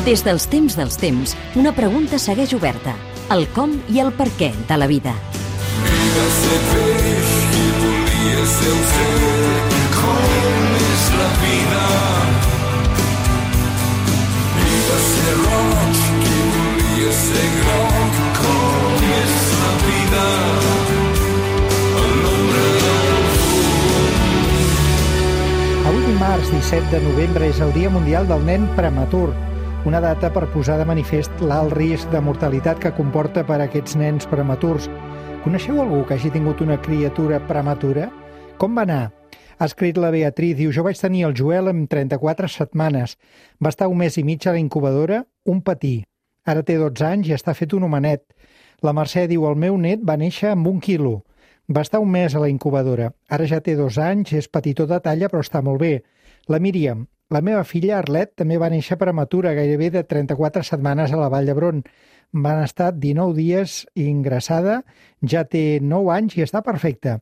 Des dels temps, una pregunta segueix oberta. El com i el per què de la vida. Vida ser peix i volia ser oceà. Com és la vida? Vida ser roig i volia ser groc. Com és la vida? El nombre del fum. Avui dimarts 17 de novembre és el Dia Mundial del Nen Prematur, una data per posar de manifest l'alt risc de mortalitat que comporta per a aquests nens prematurs. Coneixeu algú que hagi tingut una criatura prematura? Com va anar? Ha escrit la Beatriz, diu: jo vaig tenir el Joel amb 34 setmanes. Va estar 1 mes i mig a la incubadora, un patí. Ara té 12 anys i està fet un homenet. La Mercè diu: el meu net va néixer amb 1 quilo. Va estar 1 mes a la incubadora. Ara ja té 2 anys, és petitó de talla, però està molt bé. La Míriam: la meva filla Arlet també va néixer prematura, gairebé de 34 setmanes a la Vall d'Hebron. Van estar 19 dies ingressada, ja té 9 anys i està perfecta.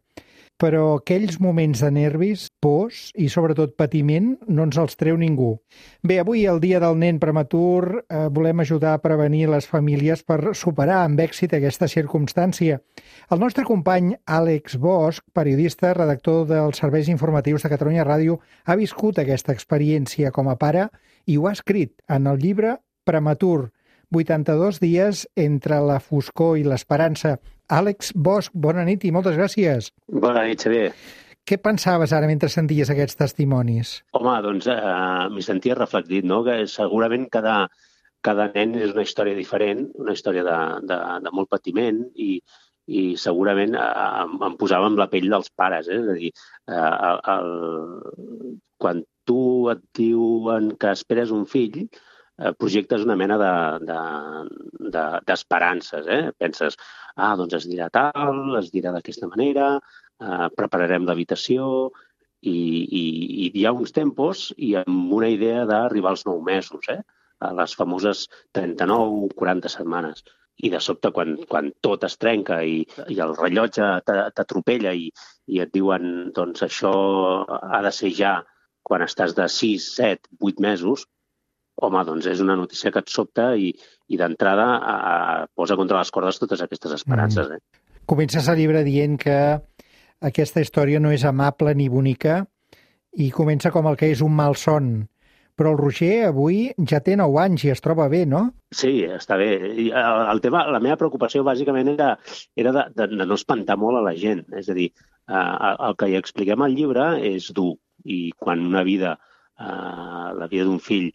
Però aquells moments de nervis, pors i sobretot patiment no ens els treu ningú. Bé, avui, el dia del nen prematur, volem ajudar a prevenir les famílies per superar amb èxit aquesta circumstància. El nostre company Àlex Bosch, periodista, redactor dels serveis informatius de Catalunya Ràdio, ha viscut aquesta experiència com a pare i ho ha escrit en el llibre Prematur, 82 dies entre la foscor i l'esperança. Àlex Bosch, bona nit i moltes gràcies. Bona nit, Xavier. Què pensaves ara mentre senties aquests testimonis? Home, doncs m'hi sentia reflectit, no? Que segurament cada nen és una història diferent, una història de molt patiment i segurament em posava amb la pell dels pares. És a dir, quan tu et diuen que esperes un fill, projectes una mena d'esperances. Penses, doncs es dirà tal, es dirà d'aquesta manera, prepararem l'habitació i hi ha uns tempos i amb una idea d'arribar als 9 mesos, a les famoses 39-40 setmanes. I de sobte, quan tot es trenca i el rellotge t'atropella i et diuen doncs això ha de ser ja quan estàs de 6, 7, 8 mesos, home, doncs és una notícia que et sobta i d'entrada posa contra les cordes totes aquestes esperances. Comences el llibre dient que aquesta història no és amable ni bonica i comença com el que és un malson. Però el Roger avui ja té 9 anys i es troba bé, no? Sí, està bé. La meva preocupació bàsicament era de no espantar molt a la gent. És a dir, el que hi expliquem al llibre és dur i quan una vida, la vida d'un fill,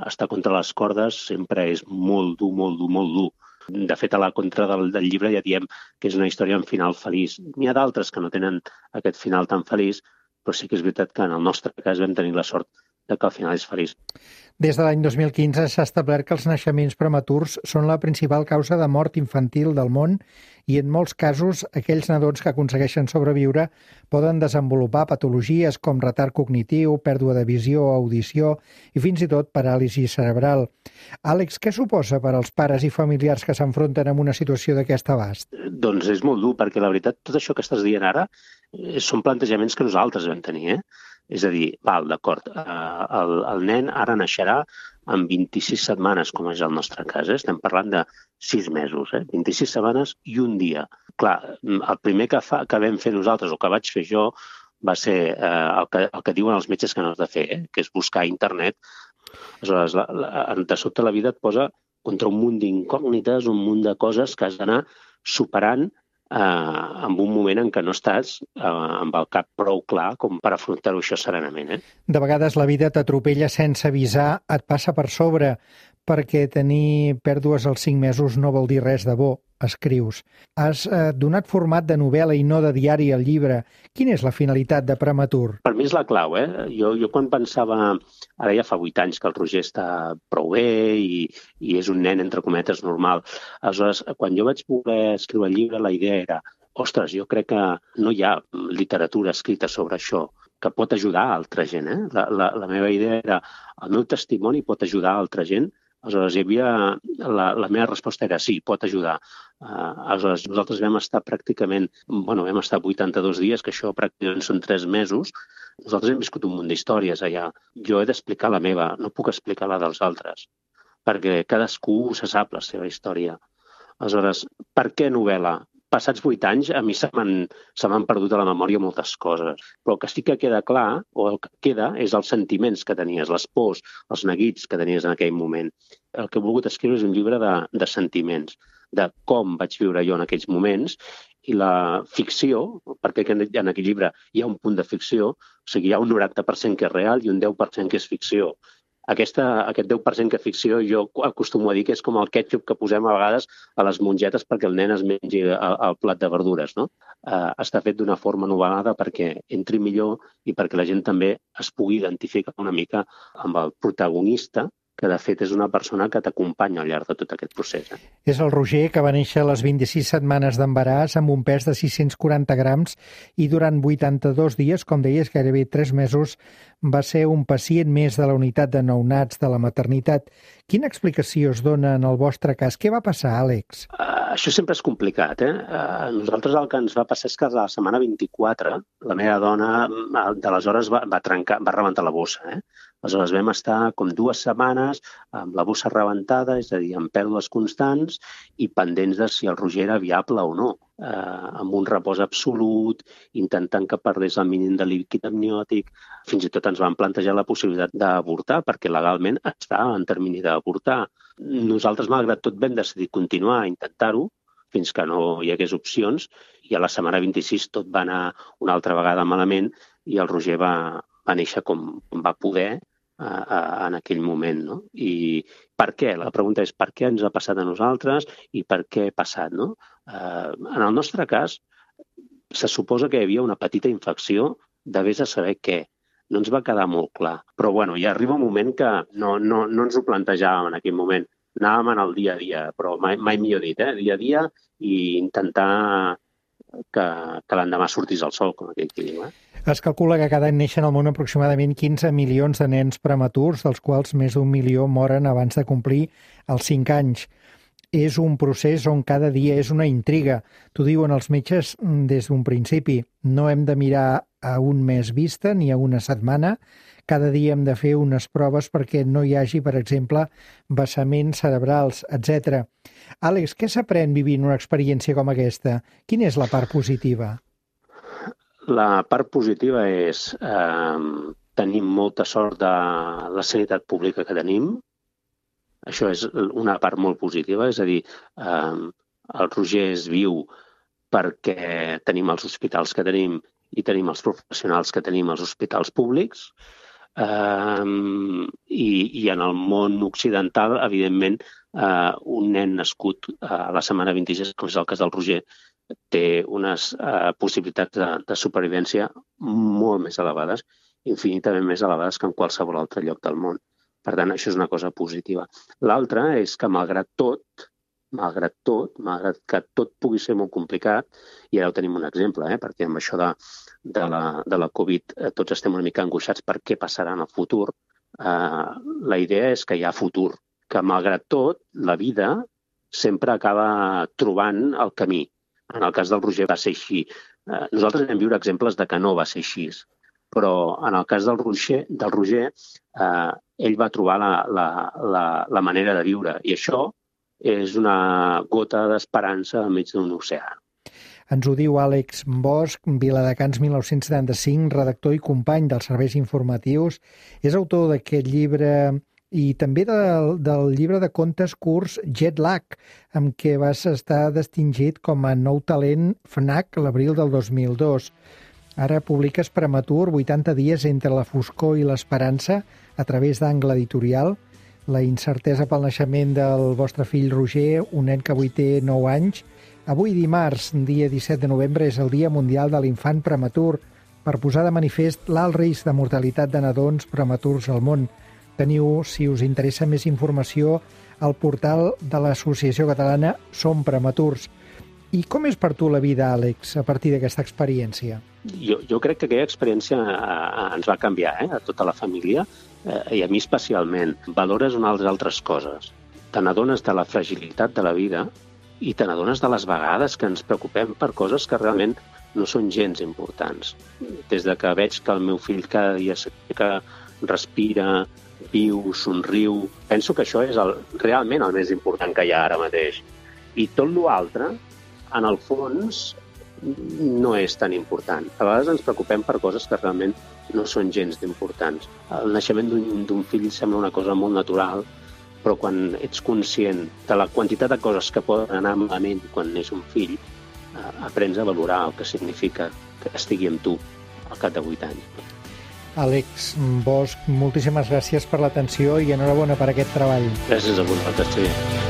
està contra les cordes, sempre és molt dur, molt dur, molt dur. De fet, a la contra del llibre ja diem que és una història amb final feliç. N'hi ha d'altres que no tenen aquest final tan feliç, però sí que és veritat que en el nostre cas vam tenir la sort de que al final és feliç. Des de l'any 2015 s'ha establert que els naixements prematurs són la principal causa de mort infantil del món i en molts casos aquells nadons que aconsegueixen sobreviure poden desenvolupar patologies com retard cognitiu, pèrdua de visió, audició i fins i tot paràlisi cerebral. Àlex, què suposa per als pares i familiars que s'enfronten amb una situació d'aquest abast? Doncs és molt dur, perquè la veritat tot això que estàs dient ara són plantejaments que nosaltres vam tenir, És a dir, d'acord, el nen ara naixerà amb 26 setmanes, com és el nostre cas. Estem parlant de 6 mesos, 26 setmanes i un dia. Clar, el primer que vam fer nosaltres, o que vaig fer jo, va ser el que diuen els metges que no has de fer, que és buscar a internet. Aleshores, de sobte la vida et posa contra un munt d'incògnites, un munt de coses que has d'anar superant en un moment en què no estàs amb el cap prou clar com per afrontar-ho això serenament. De vegades la vida t'atropella sense avisar, et passa per sobre, perquè tenir pèrdues als 5 mesos no vol dir res de bo, escrius. Has donat format de novel·la i no de diari al llibre. Quina és la finalitat de Prematur? Per mi és la clau. Jo quan pensava, ara ja fa 8 anys que el Roger està prou bé i és un nen, entre cometes, normal. Aleshores, quan jo vaig voler escriure el llibre, la idea era, ostres, jo crec que no hi ha literatura escrita sobre això, que pot ajudar a altra gent. La meva idea era, el meu testimoni pot ajudar a altra gent. Aleshores, la meva resposta era sí, pot ajudar. Aleshores, nosaltres vam estar vam estar 82 dies, que això pràcticament són 3 mesos. Nosaltres hem viscut un munt d'històries allà. Jo he d'explicar la meva, no puc explicar la dels altres, perquè cadascú se sap la seva història. Aleshores, per què novel·la? Passats 8 anys, a mi se m'han perdut a la memòria moltes coses. Però el que sí que queda clar, o el que queda, és els sentiments que tenies, les pors, els neguits que tenies en aquell moment. El que he volgut escriure és un llibre de sentiments, de com vaig viure jo en aquells moments, i la ficció, perquè en aquell llibre hi ha un punt de ficció, o sigui, hi ha un 90% que és real i un 10% que és ficció. Aquest 10% que és ficció jo acostumo a dir que és com el ketchup que posem a vegades a les mongetes perquè el nen es mengi el plat de verdures, no? Està fet d'una forma novel·lada perquè entri millor i perquè la gent també es pugui identificar una mica amb el protagonista, que de fet és una persona que t'acompanya al llarg de tot aquest procés. És el Roger, que va néixer a les 26 setmanes d'embaràs amb un pes de 640 grams i durant 82 dies, com deies, gairebé 3 mesos, va ser un pacient més de la unitat de nounats de la maternitat. Quina explicació es dona en el vostre cas? Què va passar, Àlex? Això sempre és complicat, nosaltres el que ens va passar és que a la setmana 24 la meva dona d'aleshores va rebentar la bossa, Aleshores vam estar com 2 setmanes amb la bossa rebentada, és a dir, amb pèrdues constants i pendents de si el Roger era viable o no, amb un repòs absolut, intentant que perdés el mínim de líquid amniòtic. Fins i tot ens van plantejar la possibilitat d'avortar, perquè legalment estava en termini d'avortar. Nosaltres, malgrat tot, vam decidir continuar a intentar-ho fins que no hi hagués opcions, i a la setmana 26 tot va anar una altra vegada malament i el Roger va néixer com va poder en aquell moment, no? I per què? La pregunta és per què ens ha passat a nosaltres i per què ha passat, no? En el nostre cas, se suposa que hi havia una petita infecció de vés a saber què. No ens va quedar molt clar. Però, bueno, ja arriba un moment que no ens ho plantejàvem en aquell moment. Anàvem en el dia a dia, però mai millor dit, dia a dia, i intentar que l'endemà sortís el sol, com aquell que diu, Es calcula que cada any neixen al món aproximadament 15 milions de nens prematurs, dels quals més d'1 milió moren abans de complir els 5 anys. És un procés on cada dia és una intriga. T'ho diuen els metges des d'un principi. No hem de mirar a un mes vista ni a una setmana. Cada dia hem de fer unes proves perquè no hi hagi, per exemple, vessaments cerebrals, etc. Àlex, què s'aprèn vivint una experiència com aquesta? Quina és la part positiva? La part positiva és tenim molta sort de la sanitat pública que tenim. Això és una part molt positiva, és a dir, el Roger és viu perquè tenim els hospitals que tenim i tenim els professionals que tenim als hospitals públics. I en el món occidental, evidentment, un nen nascut a la setmana 26, com és el cas del Roger, té unes possibilitats de supervivència molt més elevades, infinitament més elevades que en qualsevol altre lloc del món. Per tant, això és una cosa positiva. L'altra és que, malgrat que tot pugui ser molt complicat, i ara ho tenim un exemple, perquè amb això de la Covid tots estem una mica angoixats per què passarà en el futur, la idea és que hi ha futur, que malgrat tot la vida sempre acaba trobant el camí. En el cas del Roger va ser així. Nosaltres vam viure exemples de que no va ser així, però en el cas del Roger ell va trobar la manera de viure, i això és una gota d'esperança enmig d'un oceà. Ens ho diu Àlex Bosch, Viladecans 1975, redactor i company dels serveis informatius. És autor d'aquest llibre i també del llibre de contes curts Jet Lag, amb què vas estar distingit com a nou talent FNAC l'abril del 2002. Ara publiques Prematur, 80 dies entre la foscor i l'esperança, a través d'Angle Editorial. La incertesa pel naixement del vostre fill Roger, un nen que avui té 9 anys. Avui dimarts, dia 17 de novembre, és el Dia Mundial de l'Infant Prematur, per posar de manifest l'alt risc de mortalitat de nadons prematurs al món. Teniu, si us interessa més informació, al portal de l'Associació Catalana Som Prematurs. I com és per tu la vida, Àlex, a partir d'aquesta experiència? Jo crec que aquella experiència ens va canviar, a tota la família, i a mi especialment. Valores unes altres coses. Te n'adones de la fragilitat de la vida i te n'adones de les vegades que ens preocupem per coses que realment no són gens importants. Des de que veig que el meu fill cada dia s'aixeca, respira, viu, somriu. Penso que això és realment el més important que hi ha ara mateix. I tot l'altre, en el fons, no és tan important. A vegades ens preocupem per coses que realment no són gens d'importants. El naixement d'un fill sembla una cosa molt natural, però quan ets conscient de la quantitat de coses que poden anar malament quan neix un fill, aprens a valorar el que significa que estigui amb tu al cap de 8 anys. Àlex Bosch, moltíssimes gràcies per l'atenció i enhorabona per aquest treball. Gràcies a vosaltres, sí.